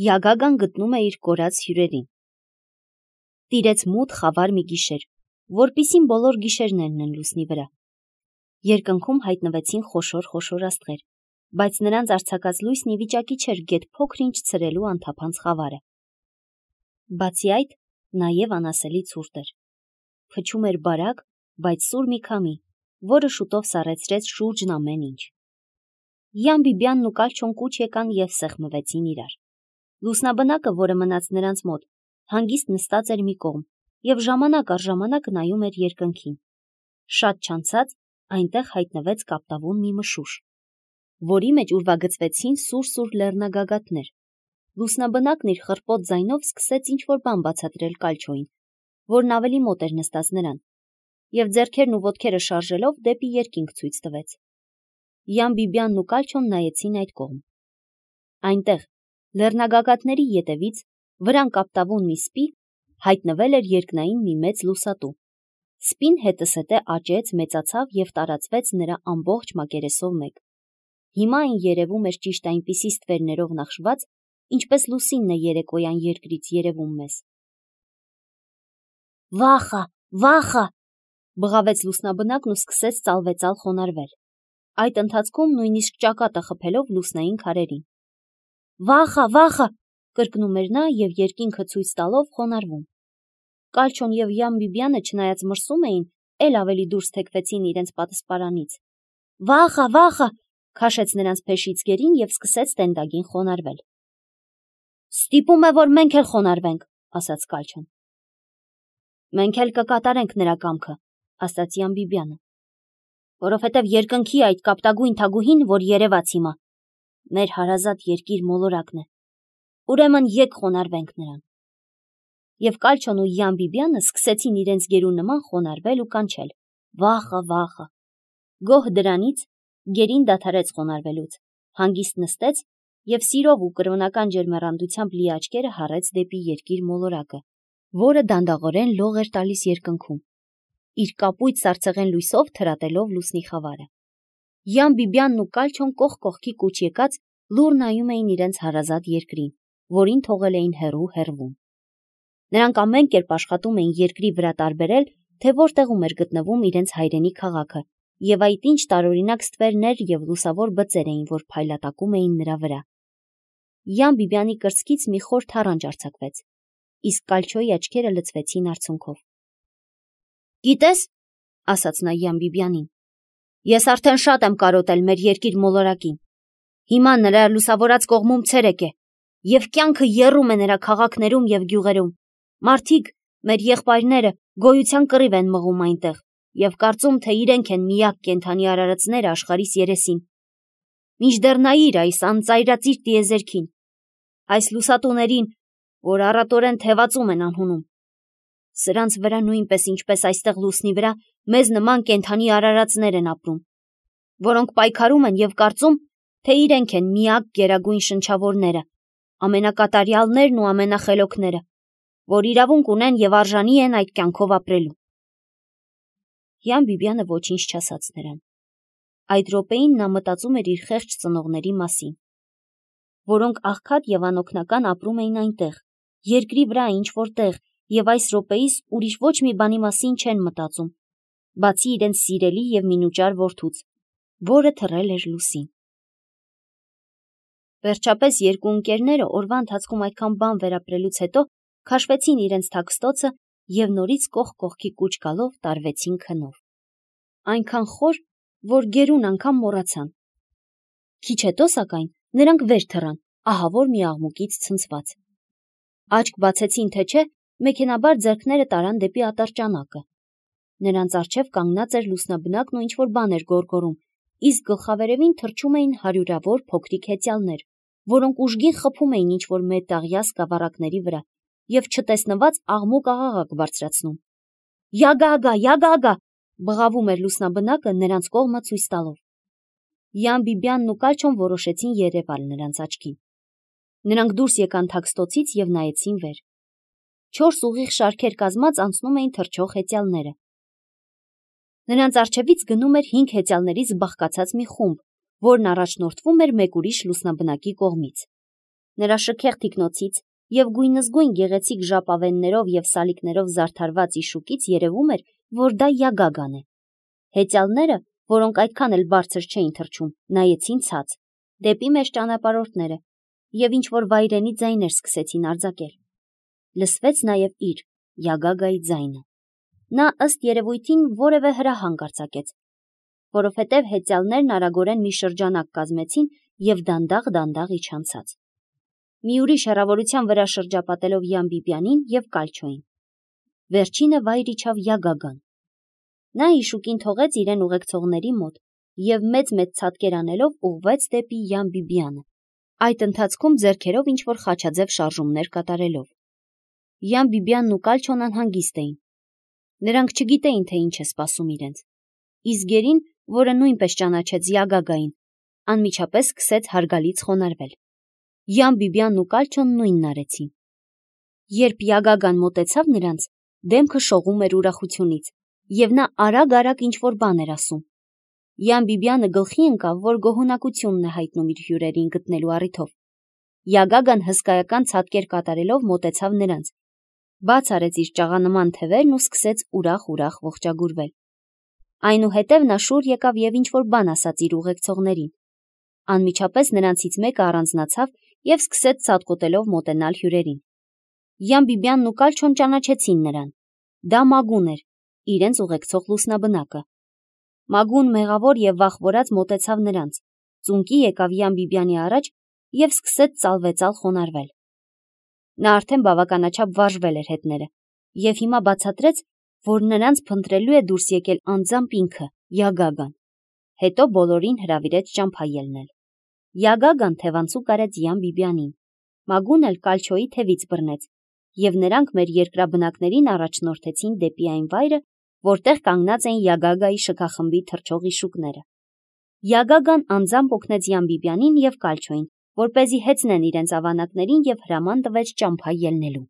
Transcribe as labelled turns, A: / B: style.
A: Յագագան գտնում է իր կորած հյուրերին։ Տիրեց մութ խավար մի գիշեր, որպիսին բոլոր գիշերներն են լուսնի վրա։ Երկնքում հայտնվեցին խոշոր աստղեր, բայց նրանց արձակած լույսն ի վիճակի չէր գեթ փոքր-ինչ ցրելու անթափանց խավարը։ Բացի այդ, նաև անասելի ցուրտ էր։ Փչում էր բարակ, բայց սուր մի քամի, որը շուտով սառեցրեց շուրջն ամեն ինչ։ Յան Բիբյանն ու Կալչոն կուչ եկան և սեղմվեցին իրար։ Լուսնաբնակը, որը մնաց նրանց մոտ, հանգիստ նստած էր մի կողմ և ժամանակ առ ժամանակ նայում էր երկնքին։ Շատ չանցած այնտեղ հայտնվեց կապտավուն մի մշուշ, որի մեջ ուրվագծվեցին սուր լեռնագագաթներ։ Լուսնաբնակն իր խռպոտ ձայնով սկսեց ինչ-որ բան բացատրել Կալչոյին, որն ավելի մոտ էր նստած նրան, և ձեռքերն ու ոտքերը շարժելով դեպի երկինք ցույց տվեց։ Յան Բիբյանն ու Կալչոն նայեցին այդ կողմ։ Այնտեղ, լեռնագագաթների ետևից, վրան կապտավուն մի սպի, հայտնվել էր երկնային մի մեծ լուսատու։ Սպին հետզհետե աճեց, մեծացավ և տարածվեց նրա ամբողջ մակերեսով մեկ։ Հիմա այն երևում էր ճիշտ այնպիսի ստվերներով նախշված, ինչպես լուսինն է երեկոյան երկրից երևում մեզ։ Վախա, բղավեց լուսնաբնակն ու սկսեց ծալվեծալ խոնարհվել, այդ ընթացքում նույնիսկ ճակատը խփելով լուսնային քարերին։ Վախա, կրկնում էր նա և երկինքը ցույց տալով խոնարհվում։ Կալչոն և Յան Բիբյանը չնայած մրսում էին, էլ ավելի դուրս թեքվեցին իրենց պատսպարանից։ Վախա, քաշեց նրանց փեշից գերին և սկսեց տենդագին խոնարհվել։ Ստիպում է, որ մենք էլ խոնարհվենք, ասաց Կալչոն։ Մենք էլ կկատարենք նրա կամքը, ասաց Յան Բիբյանը, որովհետև երկնքի այդ կապտագույն թագուհին, որ երևաց հիմա, մեր հարազատ երկիր մոլորակն է, ուրեմն եկ խոնարհվենք նրան։ Եվ Կալչոն ու Յան Բիբյանը սկսեցին իրենց գերու նման խոնարհվել ու կանչել. Վախա։ Գոհ դրանից գերին դադարեց խոնարհվելուց, հանգիստ նստեց և սիրով ու կրոնական ջերմեռանդությամբ լի աչքերը հառեց դեպի երկիր մոլորակը, որը դանդաղորեն լող էր տալիս երկնքում, իր կապույտ սառցեղեն լույսով թրատելով լուսնի խավարը։ Յան Բիբյանն ու Կալչոն կողք կողքի կուչ եկած լուռ նայում էին իրենց հարազատ երկրին, որին թողել էին հեռվում։ Նրանք ամեն կերպ աշխատում էին երկրի վրա տարբերել, թե որտեղում էր գտնվում իրենց հայրենի քաղաքը, և այդ ինչ տարօրինակ ստվերներ և լուսավոր բծեր էին, որ փայլատակում էին նրա վրա։ Յան Բիբյանի կրծքից մի խոր թառանչ արձակվեց, իսկ Կալչոյի աչքերը լցվեցին արցունքով։ Գիտես, ասաց նա Յան Բիբյանին, ես արդեն շատ եմ կարոտել մեր երկիր մոլորակին։ Հիմա նրա լուսավորած կողմում ցերեկ է, և կյանքը եռում է նրա քաղաքներում և գյուղերում։ Մարդիկ, մեր եղբայրները, գոյության կռիվ են մղում այնտեղ և կարծում, թե իրենք են միակ կենդանի արարածները աշխարհիս երեսին։ Մինչդեռ նայիր այս անծայրածիր տիեզերքին, այս լուսատուներին, որ առատորեն թևածում են անհունում։ Սրանց վրա նույնպես ինչպես այստեղ լուսնի վրա մեզ նման կենդանի արարածներ են ապրում, որոնք պայքարում են և կարծում, թե իրենք են միակ գերագույն շնչավորները, ամենակատարյալներն ու ամենախելոքները, որ իրավունք ունեն և արժանի են այդ կյանքով ապրելու։ Յան Բիբյանը ոչինչ չասաց նրան։ Այդ րոպեին նա մտածում էր իր խեղճ ծնողների մասին, որոնք աղքատ և անօգնական ապրում էին այնտեղ, երկրի վրա ինչ-որ տեղ, և այս րոպեիս ուրիշ ոչ մի բանի մասին չեն մտածում, բացի իրենց սիրելի և մինուճար որդուց, որը թռել էր լուսին։ Վերջապես երկու ընկերները օրվա ընթացքում այդքան բան վերապրելուց հետո քաշվեցին իրենց թաքստոցը և նորից կողք կողքի կուչ գալով տարվեցին քնով։ Այնքան խոր, որ գերուն անգամ մոռացան։ Քիչ հետո, սակայն, նրանք վեր թռան, ահավոր մի աղմուկից ցնցված։ Աչք բացեցին թե չէ, մեքենաբար ձեռքները տարան դեպի ատրճանակը։ Նրանց առջև կանգնած էր լուսնաբնակն ու ինչ-որ բան էր գոռգոռում, իսկ գլխավերևին թռչում էին հարյուրավոր փոքրիկ հեծյալներ, որոնք ուժգին խփում էին ինչ-որ մետաղյա սկավառակների վրա և չտեսնված աղմուկ-աղաղակ բարձրացնում։ Յագագա, բղավում էր լուսնաբնակը նրանց կողմը ցույց տալով։ Յան Բիբյանն ու Կալչոն որոշեցին երևալ նրանց աչքին։ Նրանք դուրս եկան թաքստոցից և նայեցին վեր։ 4 ուղիղ շարքեր կազմած անցնում էին թռչող հեծյալները։ Նրանց առջևից գնում էր 5 հեծյալներից բաղկացած մի խումբ, որն առաջնորդվում էր մեկ ուրիշ լուսնաբնակի կողմից։ Նրա շքեղ թիկնոցից և գույնզգույն գեղեցիկ ժապավեններով և սալիկներով զարդարված իշուկից երևում էր, որ դա Յագագան է։ Հեծյալները, որոնք այդքան էլ բարձր չէին թռչում, նայեցին ցած, դեպի մեծ ճանապարհորդները, և ինչ-որ վայրենի ձայներ սկսեցին արձակել։ Լսվեց նաև իր Յագագայի ձայնը։ Նա ըստ երևույթին որևէ հրահանգ արձակեց, որովհետև հեծյալներն արագորեն մի շրջանակ կազմեցին և դանդաղ իջան ցած։ Մի ուրիշ հեռավորության վրա շրջապատելով Յան Բիբիանին և Կալչոյին։ Վերջինը վայր իջավ Յագագան։ Նա իշուկին թողեց իրեն ուղեկցողների մոտ և մեծ ցատկեր անելով ուղղվեց դեպի Յան Բիբիանը, այդ ընթացքում ձեռքերով ինչ-որ խաչաձև շարժումներ կատարելով։ Յան Բիբիանն ու Կալչոն անհանգիստ էին։ Նրանք չգիտեին, թե ինչ է սպասում իրենց։ Իսկ գերին, որը նույնպես ճանաչեց Յագագային, անմիջապես սկսեց հարգալից խոնարհվել։ Յան Բիբիանն ու Կալչոն նույնն արեցին։ Երբ Յագագան մոտեցավ նրանց, դեմքը շողում էր ուրախությունից, և նա արագ ինչ-որ բան էր ասում։ Յան Բիբիանը գլխի ընկավ, որ գոհունակությունն է հայտնում իր հյուրերին գտնելու առիթով։ Յագագան հսկայական ցատկեր կատարելով մոտեցավ նրանց, բաց արեց իր ճաղանման թևերն ու սկսեց ուրախ ողջագուրվել։ Այնուհետև նա շուռ եկավ և ինչ-որ բան ասաց իր ուղեկցողներին։ Անմիջապես նրանցից մեկը առանձնացավ և սկսեց ցատկոտելով մոտենալ հյուրերին։ Յան Բիբիանն ու Կալչոն ճանաչեցին նրան։ Դա Մագուն էր, իրենց ուղեկցող լուսնաբնակը։ Մագուն մեղավոր և վախվորած մոտեցավ նրանց, ծունկի եկավ Յան Բիբիանի առաջ և սկսեց ծալվեծալ խոնարհվել։ Նա արդեն բավականաչափ վարժվել էր հետները և հիմա բացատրեց, որ նրանց փնտրելու է դուրս եկել անձամբ ինքը, Յագագան։ Հետո բոլորին հրավիրեց ճամփա ելնել։ Յագագան թևանցուկ արեց Յան Բիբիանին, Մագուն էլ Կալչոյի թևից բռնեց, և նրանք մեր երկրաբնակներին առաջնորդեցին դեպի այն վայրը, որտեղ կանգնած էին Յագագայի շքախմբի թռչող իշուկները։ Յագագան անձամբ օգնեց Յան Բիբիանին և Կալչոյին, որպեսզի հեծնեն իրենց ավանակներին և հրաման տվեց ճամփա ելնելու։